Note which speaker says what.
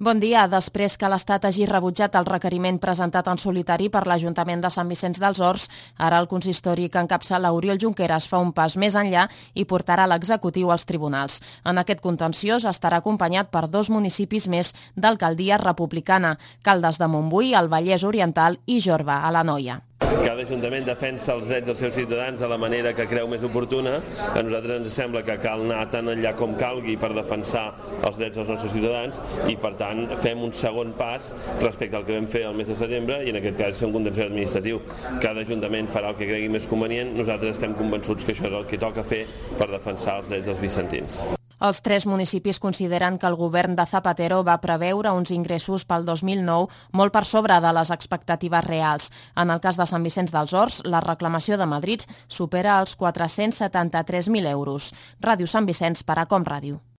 Speaker 1: Bon dia. Després que l'Estat hagi rebutjat el requeriment presentat en solitari per l'Ajuntament de Sant Vicenç dels Horts, ara el consistori que encapçala Oriol Junqueras fa un pas més enllà i portarà l'executiu als tribunals. En aquest contenciós estarà acompanyat per 2 municipis més d'alcaldia republicana, Caldes de Montbui, al Vallès Oriental i Jorba, a l'Anoia.
Speaker 2: Cada ajuntament defensa els drets dels seus ciutadans de la manera que creu més oportuna. A nosaltres ens sembla que cal anar tan enllà com calgui per defensar els drets dels nostres ciutadans i, per tant, fem un segon pas respecte al que vam fer el mes de setembre i, en aquest cas, ser un contenciós administratiu. Cada ajuntament farà el que cregui més convenient. Nosaltres estem convençuts que això és el que toca fer per defensar els drets dels vicentins.
Speaker 1: Els 3 municipis consideren que el govern de Zapatero va preveure uns ingressos pel 2009 molt per sobre de les expectatives reals. En el cas de Sant Vicenç dels Horts, la reclamació de Madrid supera els 473.000 euros. Ràdio Sant Vicenç per a Com Ràdio.